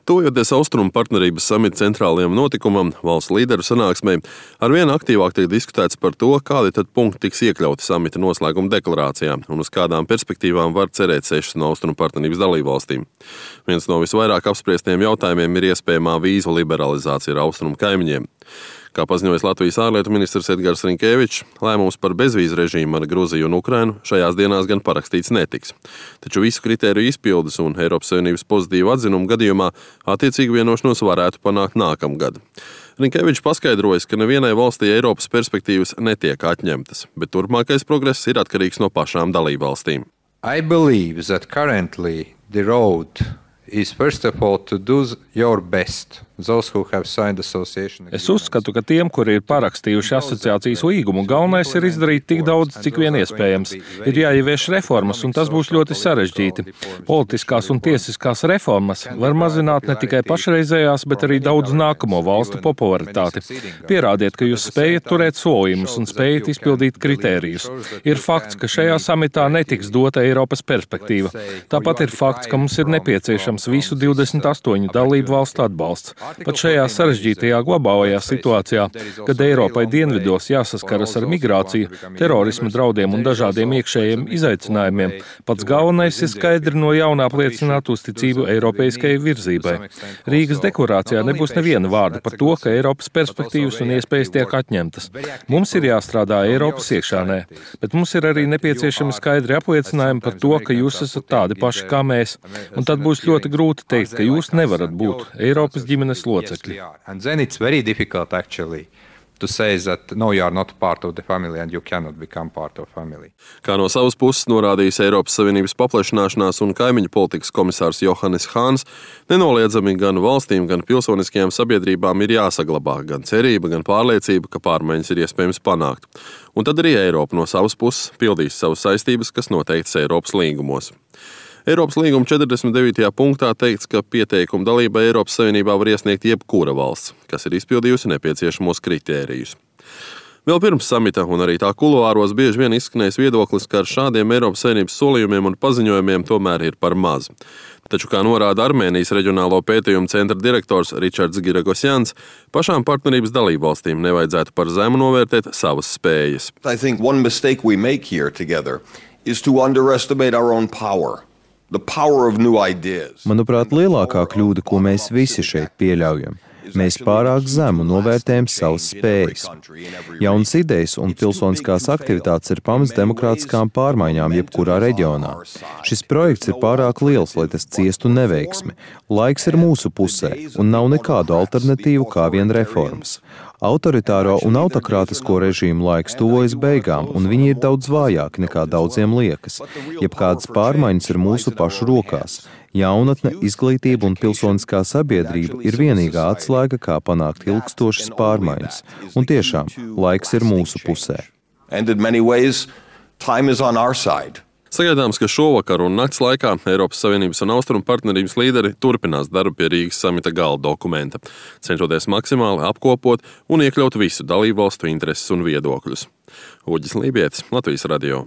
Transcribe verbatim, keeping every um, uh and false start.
Tuvojoties Austrumu partnerības samita centrālajam notikumam, valsts līderu sanāksmei, arvien aktīvāk tiek diskutēts par to, kādi tad punkti tiks iekļauti samita noslēguma deklarācijā un uz kādām perspektīvām var cerēt sešas no Austrumu partnerības dalībvalstīm. Viens no visvairāk apspriestiem jautājumiem ir iespējamā vīzu liberalizācija ar Austrumu kaimiņiem. Kā paziņojis Latvijas ārlietu ministrs Edgars Rinkevičs, lēmums par bezvīzu režīmu ar Gruziju un Ukrainu šajās dienās gan parakstīts netiks. Taču visu kritēriju izpildes un Eiropas Savienības pozitīvu atzinumu gadījumā attiecīgu vienošanos varētu panākt nākamgad. Rinkevičs paskaidrojas, ka nevienai valstī Eiropas perspektīvas netiek atņemtas, bet turpmākais progress ir atkarīgs no pašām dalībvalstīm. I believe that currently the road is first of all to do your best. Es uzskatu, ka tiem, kuri ir parakstījuši asociācijas līgumu, galvenais ir izdarīt tik daudz, cik vien iespējams. Ir jāievieš reformas, un tas būs ļoti sarežģīti. Politiskās un tiesiskās reformas var mazināt ne tikai pašreizējās, bet arī daudz nākamo valstu popularitāti. Pierādiet, ka jūs spējat turēt solījumus un spējat izpildīt kritērijus. Ir fakts, ka šajā samitā netiks dota Eiropas perspektīva. Tāpat ir fakts, ka mums ir nepieciešams visu divdesmit astoņu dalību valstu atbalsts. Pat šajā sarežģītajā globālajā situācijā, kad Eiropai dienvidos jāsaskaras ar migrāciju, terorisma draudiem un dažādiem iekšējiem izaicinājumiem, pats galvenais ir skaidri no jauna apliecināt uzticību eiropeiskajai virzībai. Rīgas deklarācijā nebūs neviena vārda par to, ka Eiropas perspektīvas un iespējas tiek atņemtas. Mums ir jāstrādā Eiropas iekšānē, bet mums ir arī nepieciešami skaidri apliecinājumi par to, ka jūs esat tādi paši kā mēs. Un tad būs ļoti grūti teikt, ka jūs nevarat būt Eiropas ģimenes locekļi. And then it's very difficult actually to say that no, you are not part of the family and you cannot become part of family. Kā no savas puses norādījis Eiropas Savienības paplašināšanās un kaimiņu politikas komisārs Johannes Hahns, nenoliedzami gan valstīm, gan pilsoniskajām sabiedrībām ir jāsaglabā gan cerība, gan pārliecība, ka pārmaiņas ir iespējams panākt. Un tad arī Eiropa no savas puses pildīs savas saistības, kas noteiktas Eiropas līgumos. Eiropas līguma četrdesmit devītajā punktā teikts, ka pieteikumu dalībai Eiropas Savienībā var iesniegt jebkura valsts, kas ir izpildījusi nepieciešamos kritērijus. Vēl pirms samita un arī tā kuluāros bieži vien izskanējis viedoklis, ka ar šādiem Eiropas Savienības solījumiem un paziņojumiem tomēr ir par maz. Taču, kā norāda Armēnijas reģionālo pētījumu centra direktors Ričards Giragosjans, pašām partnerības dalībvalstīm nevajadzētu par zemu novērtēt savas spējas. I think one mistake we make here together is to underestimate our own power. Manuprāt, lielākā kļūda, ko mēs visi šeit pieļaujam, mēs pārāk zemu novērtējam savas spējas. Jaunas idejas un pilsoniskās aktivitātes ir pamats demokrātiskām pārmaiņām jebkurā reģionā. Šis projekts ir pārāk liels, lai tas ciestu neveiksmi. Laiks ir mūsu pusē un nav nekādu alternatīvu kā vien reformas. Autoritāro un autokrātisko režīmu laiks tuvojas beigām, un viņi ir daudz vājāki nekā daudziem liekas. Jebkādas pārmaiņas ir mūsu pašu rokās. Jaunatne, izglītība un pilsoniskā sabiedrība ir vienīgā atslēga, kā panākt ilgstošas pārmaiņas. Un tiešām, laiks ir mūsu pusē. Sagaidāms, ka šovakar un nakts laikā Eiropas Savienības un Austrumu partnerības līderi turpinās darbu pie Rīgas samita gala dokumenta, cenšoties maksimāli apkopot un iekļaut visu dalībvalstu intereses un viedokļus. Uģis Lībietis, Latvijas radio.